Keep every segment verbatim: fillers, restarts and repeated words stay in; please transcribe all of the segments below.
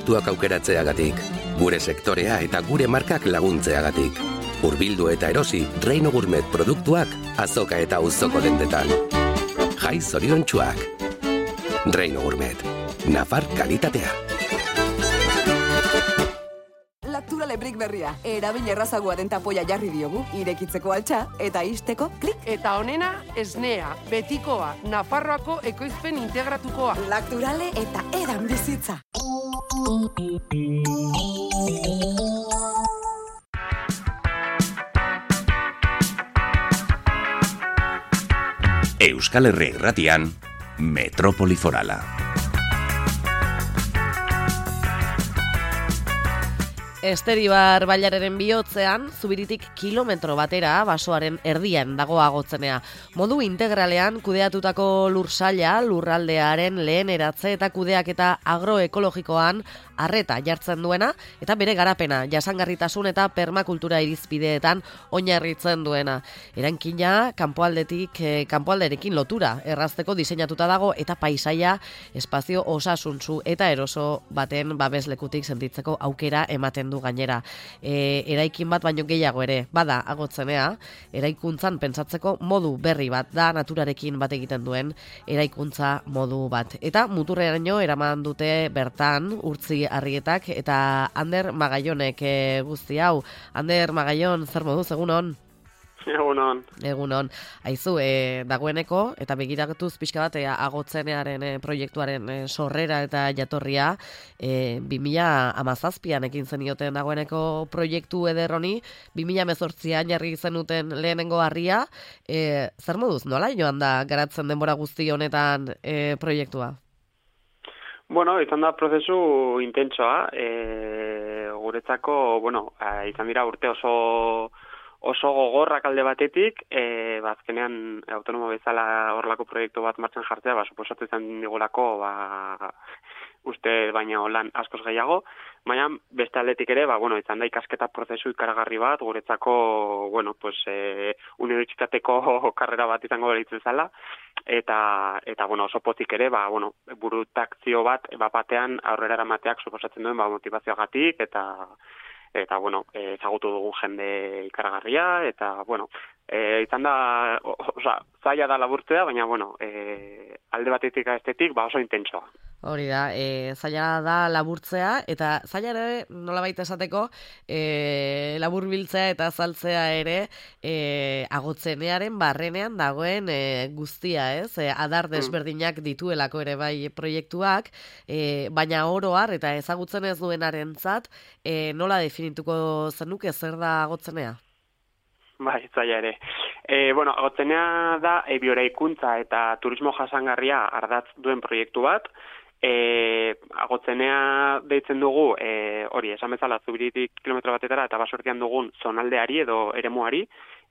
produktuak aukeratzeagatik, gure sektorea eta gure markak laguntzeagatik. Hurbildu eta erosi Reino Gourmet produktuak azoka eta auzoko dendetan. Jai zoriontsuak. Reino Gourmet. Nafar kalitatea. Laktura lebrik berria. Erabil errazagoa den tapoia jarri diogu. Irekitzeko altxa eta ixteko klik. Eta honena, esnea, betikoa, Nafarroako ekoizpen integratukoa. Lakturale eta edan bizitza. Euskal Herri Irratian, Metrópoli Forala. Esteribar bailararen bihotzean, Zubiritik kilometro batera basoaren erdian dago Agotzenea. Modu integralean kudeatutako lursaila, lurraldearen lehen eratze eta kudeaketa agroekologikoan arreta jartzen duena, eta bere garapena, jasangarritasun eta permakultura irizpideetan oinarritzen duena. Erankina, kanpoaldetik, eh, kanpoalderekin lotura errazteko diseinatuta dago, eta paisaia espazio osasuntsu eta eroso baten babeslekutik sentitzeko aukera ematen du gainera. E, eraikin bat baino gehiago ere, bada Agotzenea, eraikuntzan pentsatzeko modu berri bat da, naturarekin bat egiten duen eraikuntza modu bat. Eta muturreraino eraman dute bertan urtzi Arrietak eta Ander Magaionek e, guzti hau. Ander Magaion, zer moduz, egunon? Egunon. Egunon. Aizu, e, dagoeneko, eta begiratuz pixka bat, e, Agotzenearen e, proiektuaren e, sorrera eta jatorria, e, bi mila hamazazpian ekin zenioten dagoeneko proiektu ederroni, bi mila hemezortzian jarri zenuten lehenengo harria, e, zer moduz, nola joan da garatzen denbora guzti honetan e, proiektua? Bueno, izan da prozesu intentsoa, e, guretzako, bueno, e, izan dira urte oso oso gogorrak alde batetik, e, bazkenean autonomo bezala horrelako proiektu bat martxan jartzea, ba, suposatu izan digulako, ba, uste baina lan askoz gehiago, baina beste aldetik ere, ba, bueno, izan da ikasketa prozesu ikaragarri bat, guretzako, bueno, pues, e, unibertsitateko karrera bat izango beritzen zala, eta, eta, bueno, oso pozik ere, ba, bueno, burutakzio bat, bapatean aurrera eramateak suposatzen duen, ba, motivazioagatik, eta, eta, bueno, ezagutu dugu jende ikaragarria, eta, bueno, e, izan da, oza, zaila da laburtzea, baina, bueno, e, alde batetik estetik, ba, oso intentsoa. Hori da, e, zaila da laburtzea, eta zaila ere, nolabait esateko, e, laburbiltzea eta azaltzea ere e, Agotzenearen barrenean dagoen e, guztia, ez? E, adar desberdinak dituelako ere bai proiektuak, e, baina oro har eta ezagutzen ez duenarentzat, e, nola definituko zenuke zer da Agotzenea? Bai, zaila ere. E, bueno, Agotzenea da e, bioeraikuntza eta turismo jasangarria ardatz duen proiektu bat. E, Agotzenea deitzen dugu, e, hori, esan bezala Zubiritik kilometro batetara eta basortian dugun zonaldeari edo eremuari,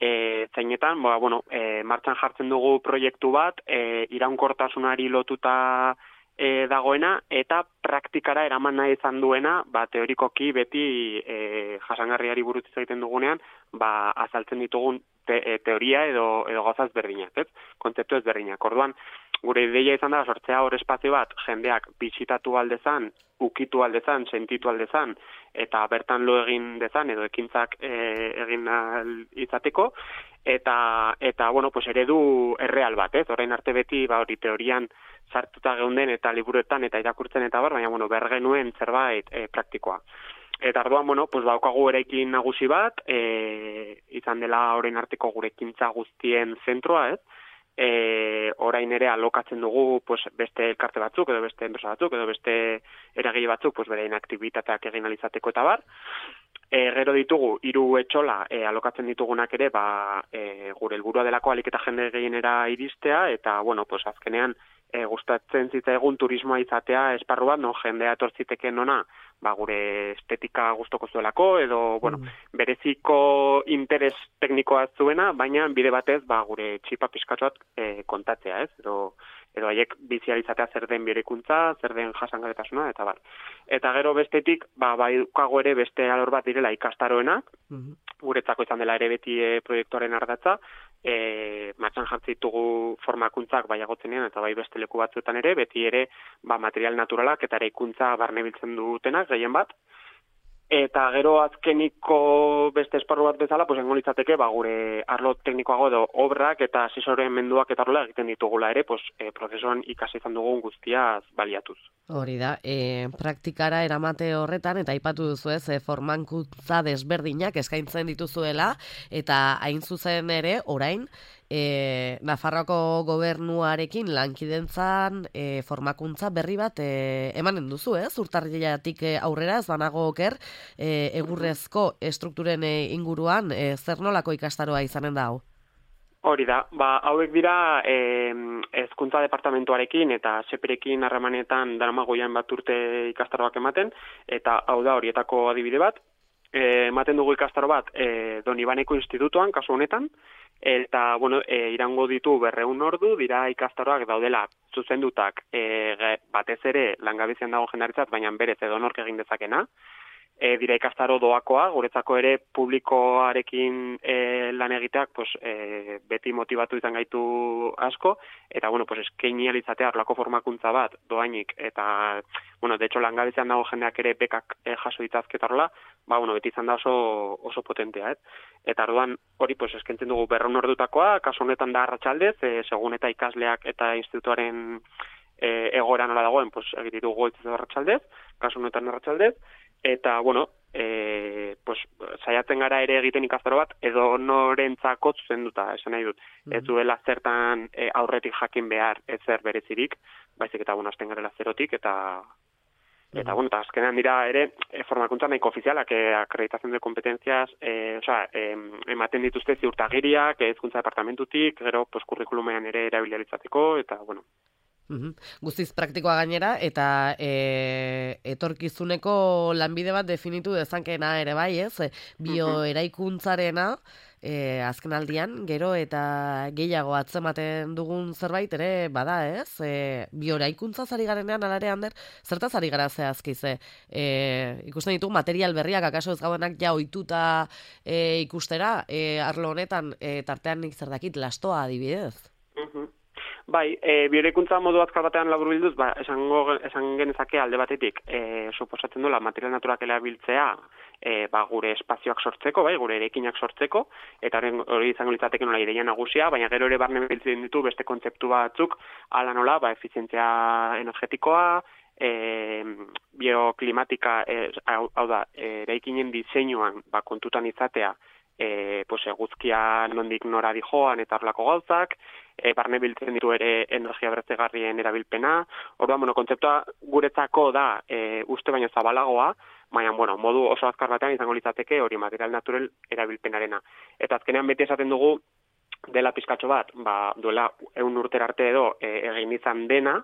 e, zeinetan, ba, bueno, e, martxan jartzen dugu proiektu bat, e, iraunkortasunari lotuta e, dagoena, eta praktikara eraman nahi izan duena, ba, teorikoki beti e, jasangarriari buruz egiten dugunean, ba, azaltzen ditugun te, e, teoria edo, edo gauzaz berdinak, ez? Kontzeptu ezberdinak. Orduan, gure ideia izan da sortzea hor espazio bat jendeak bisitatu aldezan, ukitu aldezan, sentitu aldezan, eta bertan lo egin dezan edo ekintzak e, egin izateko, eta, eta bueno, pues eredu erreal bat, ez? Orain arte beti, ba, hori teorian sartuta geunden eta liburuetan eta irakurtzen eta bar, baina, bueno, bergenuen zerbait e, praktikoa. Eta arduan, bueno, pues baukagu eraikin nagusi bat, e, izan dela orain arteko gure ekintza guztien zentroa, ez? E, orain ere alokatzen dugu pues, beste elkarte batzuk, edo beste enpresa batzuk, edo beste eragile batzuk, pues, berein aktibitateak egin alizateko eta bar. E, gero ditugu, hiru etxola e, alokatzen ditugunak ere, ba, e, gure helburua delako alik eta jende gehienera iristea, eta, bueno, pues, azkenean, e, gustatzen zitzaigun turismoa izatea esparru bat, no, jendea etortziteken ona, ba, gure estetika gustoko zuelako, edo, bueno, mm. bereziko interes teknikoa zuena, baina bide batez, ba, gure txipa pizkatxoat e, kontatzea, ez? Edo, edo haiek bizializatea zer den berekuntza, zer den jasangarritasuna, eta bar. Eta gero bestetik, ba, baukago ere beste alor bat direla ikastaroena, mm-hmm. guretzako izan dela ere beti e, proiektuaren ardatza, e, martxan jartzen ditugu formakuntzak bai agotzenean eta bai beste leku batzuetan ere, beti ere ba, material naturalak eta eraikuntza barne biltzen dutenak, gehien bat. Eta gero azkeniko beste esparru bat bezala, pues engo litzateke, ba, gure arlo teknikoago edo obrak eta asesoremenduak eta arloa egiten ditugula ere, pues, e, prozesuan ikasi izan dugun guztiaz baliatuz. Hori da, e, praktikara eramate horretan, eta aipatu duzu ez, e, formakuntza desberdinak eskaintzen dituzuela, eta hain zuzen ere, orain, E, Nafarroako gobernuarekin lankidentzan e, formakuntza berri bat e, emanen duzu, ez? Urtarrilatik aurrera, ez banago oker, e, egurrezko estrukturen e, inguruan, e, zer nolako ikastaroa izanen da hau? Hori da, ba, hauek dira e, hezkuntza departamentuarekin eta seperekin harremanetan daramagoian bat urte ikastaroak ematen, eta hau da horietako adibide bat, e, ematen dugu ikastaro bat e, Donibaneko institutuan, kasu honetan, eta, bueno, e, irango ditu berreun ordu, dira ikastaroak daudela zuzendutak e, batez ere langabezian dago jendaritzat, baina berez edo nork egin dezakena. E, dira ikastaro doakoa, guretzako ere publikoarekin e, lan egiteak pues, e, beti motivatu izan gaitu asko, eta, bueno, pues, eskaini alizatea arlako formakuntza bat doainik, eta, bueno, de hecho, langabezian dago jendeak ere bekak e, jaso ditazketarla, ba, bueno, beti izan da oso, oso potentea, ez? Eta orduan hori pues, eskentzen dugu berreun ordutakoa, kasu honetan da arratsaldez, e, segun eta ikasleak eta institutuaren e, egoera nola dagoen, pues, egiten dugu goitzez arratsaldez, kasu honetan arratsaldez, eta, bueno, e, pues, saiatzen gara ere egiten ikastaro bat, edo norentzako zuzenduta, esan nahi dut. Mm-hmm. Ez duela zertan e, aurretik jakin behar ezer berezirik, baizik eta, bueno, azten garela zerotik, eta Eta, bueno, eta azkenean dira ere e, formakuntza nahiko ofizialak, e, akreditación de competencias, e, osea, e, ematen dituzte ziurtagiriak, hezkuntza departamentutik, gero, pues, kurrikulumean ere erabiliaritzateko, eta, bueno. Uhum. Guztiz praktikoa gainera, eta e, etorkizuneko lanbide bat definitu dezankena ere bai, ez? Bioeraikuntzarena, e, azken aldian, gero eta gehiago atzematen dugun zerbait ere bada, ez? E, bioeraikuntza zari garenean, alare Ander, zertaz ari gara zehazkize? E, ikusten ditu material berriak, akaso ez gaudenak ja ohituta e, ikustera, e, arlo honetan, e, tartean nik zer dakit, lastoa adibidez? Uhum. Bai, e, bioeraikuntza modu azkar batean laburbilduz, ba, esango, esan genezake alde batetik, e, suposatzen duela material naturak erabiltzea, e, ba, gure espazioak sortzeko, bai, gure erekinak sortzeko, eta hori izango litzateke nola ideia nagusia, baina gero ere barne biltzen ditu beste kontzeptu batzuk, ala nola, ba, efizientzia energetikoa, e, bioklimatika, e, hau, hau da, eraikinen diseinuan, ba, kontutan izatea, E, pues, eguzkia nondik nora dijoan eta horlako gauzak, e, barne biltzen ditu ere energia berriztagarrien erabilpena. Orduan, bueno, kontzeptua guretzako da e, uste baino zabalagoa, baina, bueno, modu oso azkar batean izango litzateke hori material natural erabilpenarena. Eta azkenean beti esaten dugu dela pizkatxo bat, ba, duela egun urtera arte edo e, egin izan dena,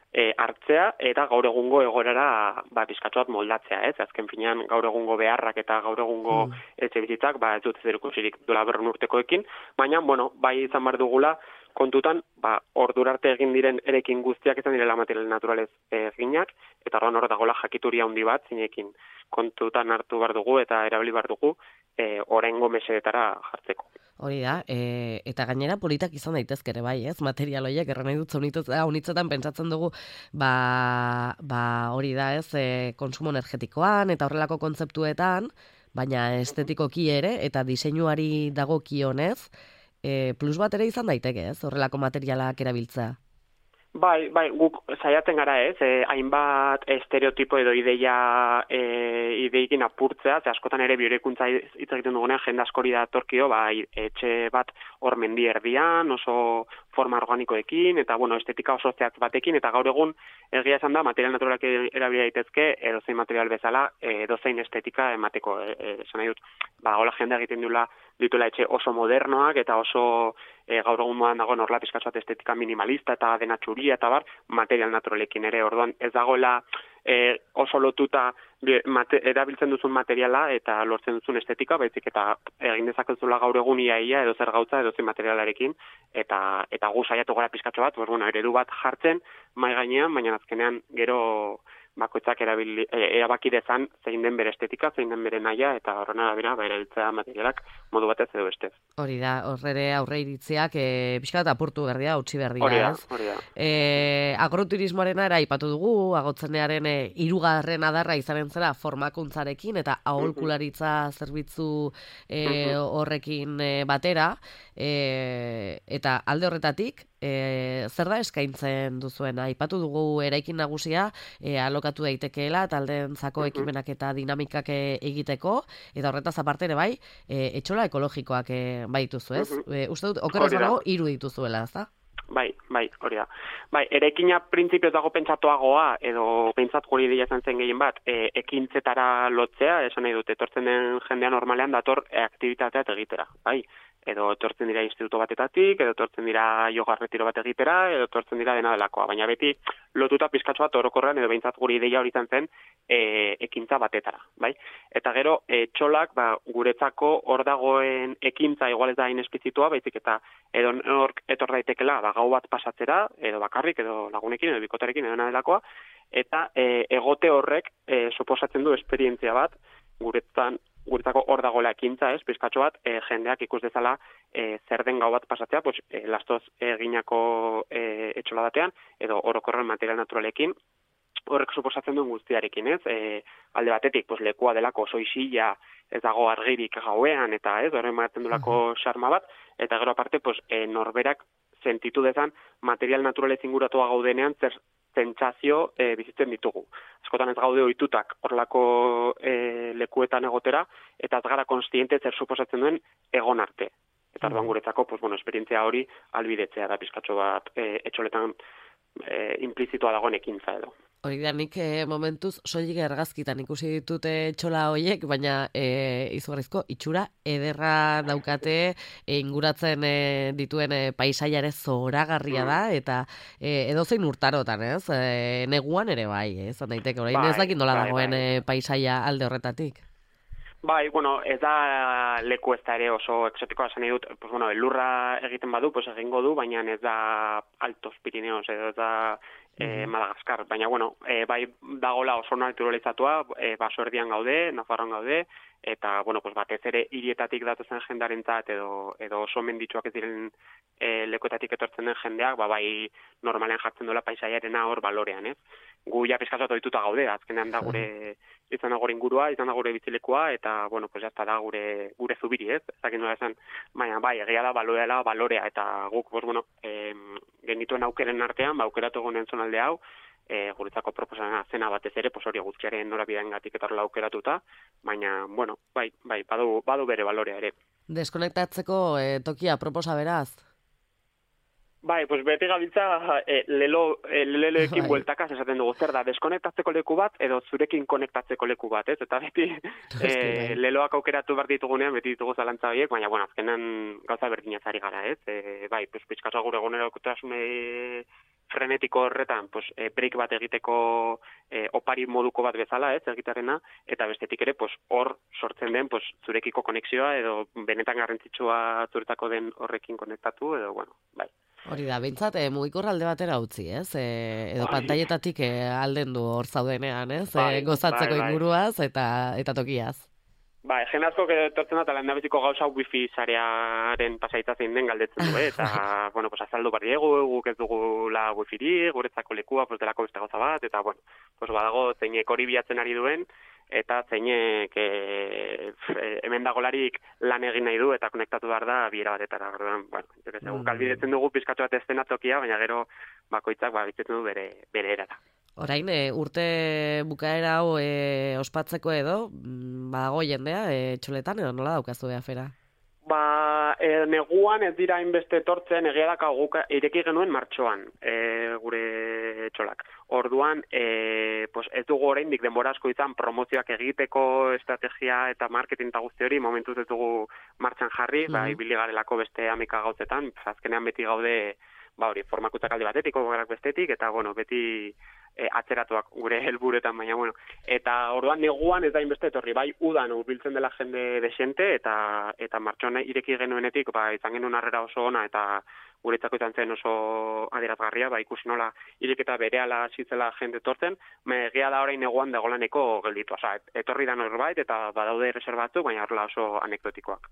E, hartzea eta gaur egungo egorara ba, pizkatxo bat moldatzea, ez? Azken finean gaur egungo beharrak eta gaur egungo mm. etxe bizitzak ba, ez dut zerikusirik duela berrun urtekoekin, baina, bueno, bai izan behar dugula kontutan, ba, ordura arte egin diren erekin guztiak izan direla material naturalez eginak, eta orduan hor dagoela jakituria handi bat zinekin kontutan hartu behar dugu eta erabili behar dugu e, oraingo mesedetara jartzeko. Hori da, e, eta gainera politak izan daitezke ere bai, ez? Material horiek erran nahi dut zaunitzetan pentsatzen dugu, ba, ba hori da, ez? E, konsumo energetikoan eta horrelako kontzeptuetan, baina estetikoki ere eta diseinuari dagokionez, e, plus bat ere izan daiteke, ez? Horrelako materialak erabiltzea. Bai, bai, guk saiatzen gara ez, eh, hainbat estereotipo edo ideia eh, ideikin apurtzea, ze askotan ere bioeraikuntza hitz egiten dugunean jende askori da torkio, bai, etxe bat hor mendi erdian, oso forma organikoekin, eta bueno, estetika oso zehatz batekin, eta gaur egun egia esan da, material naturalak erabili daitezke, edozein material bezala, edozein estetika emateko, esan nahi dut, ba, hola jende egiten duela dituela etxe oso modernoak, eta oso e, gaur egun modan dagoen horla pizkatxoat estetika minimalista, eta dena txuria, eta bar, material naturalekin ere, orduan ez dagoela e, oso lotuta mate, erabiltzen duzun materiala eta lortzen duzun estetika, baizik eta egin dezakezula gaur egun iaia edo zer gautza edo zen materialarekin, eta eta gu saiatu gara pizkatxo bat, pues, bueno, eredu bat jartzen mai gainean, baina azkenean gero bakoitzak erabili, e, erabaki dezan zein den bere estetika, zein den bere naia, eta horren arabera, ba, erabiltzea materialak modu batez edo bestez. Hori da, horre aurre iritziak, e, pixka bat apurtu berdia, utzi berdia, hori da, ez? Hori da. E, agroturismoarena era ipatu dugu, agotzenearen e, hirugarren adarra izanen zera formakuntzarekin, eta aholkularitza zerbitzu e, horrekin e, batera, e, eta alde horretatik, E, zer da eskaintzen duzuena? Aipatu dugu eraikin nagusia e, alokatu daitekeela taldeentzako ekimenak eta dinamikak egiteko, eta horretaz aparte ere bai, e, etxola ekologikoak e, bai dituzu, ez? E, uste dut, okerraz banago, hiru dituzuela, ez da? Bai, bai, hori da. Bai, eraikina printzipioz dago pentsatuagoa, edo pentsat guri dira zen zen gehien bat, e, ekintzetara lotzea, esan nahi dut, etortzen den jendea normalean dator e, aktibitatea egitera, bai? Edo etortzen dira instituto batetatik, edo etortzen dira yoga retiro bat egitera, edo etortzen dira dena delakoa. Baina beti lotuta pizkatxo bat orokorrean, edo behintzat guri ideia hori zen e, ekintza batetara, bai? Eta gero, e, txolak, ba, guretzako hor dagoen ekintza igual ez da inesplizitua, baizik eta edo nork etor daitekela, ba, gau bat pasatzera, edo bakarrik, edo lagunekin, edo bikotarekin, edo dena delakoa, eta e, egote horrek e, suposatzen du esperientzia bat, guretzan, guretzako hor dagoela ekintza, ez, pizkatxo bat, e, jendeak ikus dezala e, zer den gau bat pasatzea, pues, e, lastoz eginako e, etxola batean, edo orokorren material naturalekin, horrek suposatzen duen guztiarekin, ez, e, alde batetik, pues, lekua delako oso isila, ez dago argirik gauean, eta ez, horren maratzen dulako xarma bat, eta gero aparte, pues, e, norberak sentitu dezan material naturalez inguratua gaudenean, zer zentzazio e, bizitzen ditugu. Askotan ez gaude ohitutak horlako e, lekuetan egotera, eta ez gara konstiente zer suposatzen duen egon arte. Eta orduan guretzako, pues, bueno, esperientzia hori albidetzea da pizkatxo bat e, etxoletan e, implizitoa dagoen ekintza edo. Hori da, nik e, momentuz soilik argazkitan ikusi ditute txola horiek, baina e, izugarrizko itxura ederra daukate e, inguratzen e, dituen e, paisaiare zoragarria da, eta e, edozein urtarotan, ez? E, neguan ere bai, ez? Daiteke, orain bai, ez dakit nola bai, dagoen bai. E, paisaia alde horretatik. Bai, bueno, ez da leku ez da ere oso exotikoa esan dut, pues bueno, elurra egiten badu, pues egingo du, baina ez da Altos Pirineos, edo ez da eh, Madagaskar, baina bueno, eh, bai dagola oso naturalizatua, eh, baso erdian gaude, Nafarroan gaude, eta bueno, pues batez ere hirietatik datozen jendarentzat edo edo oso menditsuak ez diren e, lekuetatik etortzen den jendeak, ba bai normalean jartzen duela paisaiarena hor balorean, ez? Gu ja pizkatu ohituta gaude, azkenean da gure izan da gure ingurua, izan da gure bizilekua, eta bueno, pues hasta da gure gure zubiri, ez? Ezakin nola esan, baina bai, egia da baloreala balorea, eta guk, pues bueno, eh, genituen aukeren artean, ba aukeratu egonen zonalde hau, E, guretzako proposana zena batez ere, pues hori guztiaren norabideangatik eta horrela aukeratuta, baina, bueno, bai, bai, badu, badu bere balorea ere. Deskonektatzeko e, tokia proposa beraz? Bai, pues beti gabiltza e, lelo, e, leloekin bai. Bueltakaz esaten dugu, zer da, deskonektatzeko leku bat edo zurekin konektatzeko leku bat, ez? Eta beti e, leloak aukeratu behar ditugunean, beti ditugu zalantza horiek, baina, bueno, azkenan gauza berdinazari gara, ez? E, bai, pues pizkatza gure egunerokotasune frenetiko horretan, pues, e, break bat egiteko e, opari moduko bat bezala, ez, egitarena, eta bestetik ere, pues, hor sortzen den, pues, zurekiko konexioa, edo benetan garrantzitsua zuretako den horrekin konektatu, edo, bueno, bai. Hori da, behintzat, e, mugikor alde batera utzi, ez? E, edo bai. Pantaietatik e, alden du hor zaudenean, ez? Bai, e, gozatzeko bai, bai. Inguruaz eta, eta tokiaz. Ba, egen asko etortzen da, eta lehen dabeziko gauza wifi sarearen pasaitza zein den galdetzen du, eta, bueno, pues, azaldu bar diegu, guk ez dugula wifiri, guretzako lekua, pues, delako beste gauza bat, eta, bueno, pues, badago zeinek hori bilatzen ari duen, eta zeinek e, hemen dagolarik lan egin nahi du, eta konektatu behar da biera batetara, orduan, bueno, mm. guk albidetzen dugu pizkatu bat eszenatokia, baina gero bakoitzak, ba, bitzen du bere, bere erara. Orain, e, urte bukaera hau e, ospatzeko edo, badago jendea, e, txoletan edo nola daukazu afera? Ba, e, neguan ez dira inbeste etortzen, egia daka guk ireki genuen martxoan, e, gure txolak. Orduan, e, pues ez dugu oraindik denbora asko izan promozioak egiteko estrategia eta marketing eta guzti hori, momentuz ez dugu martxan jarri, mm-hmm. ba, ibili garelako beste amika gauzetan, azkenean beti gaude ba hori, formakuntzak alde batetik, ogorak bestetik, eta, bueno, beti e, atzeratuak gure helburuetan, baina, bueno. Eta orduan neguan ez da inbeste etorri, bai, udan hurbiltzen dela jende desente, eta eta martxoan ireki genuenetik, ba, izan genuen harrera oso ona, eta guretzako izan zen oso adierazgarria, ba, ikusi nola ireketa berehala hasitzela jende etortzen, egia da orain neguan dagolaneko gelditu, osea, etorri da norbait, eta badaude reservatu, baina horrela oso anekdotikoak.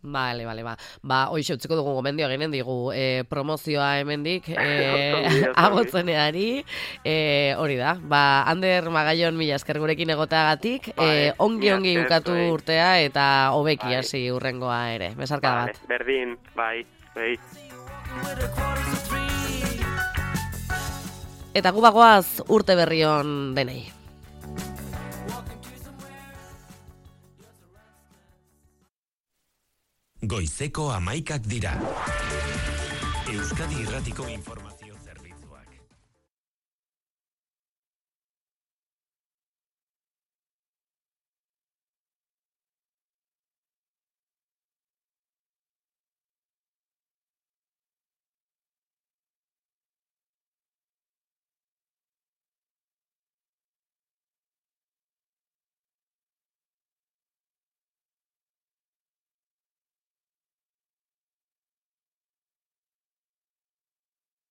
Bale, bale, ba. Ba, hoxe utziko dugu gomendio eginen digu e, promozioa hemendik e, agotzeneari. E, hori da, ba, Ander Magallon mila esker gurekin egoteagatik, e, ongi ongi ukatu urtea eta hobeki hasi urrengoa ere. Besarka bat. Berdin, bai, bai. Eta gu bagoaz urte berrion denei. Goizeko hamaikak dira. Euskadi Irratiko informazio.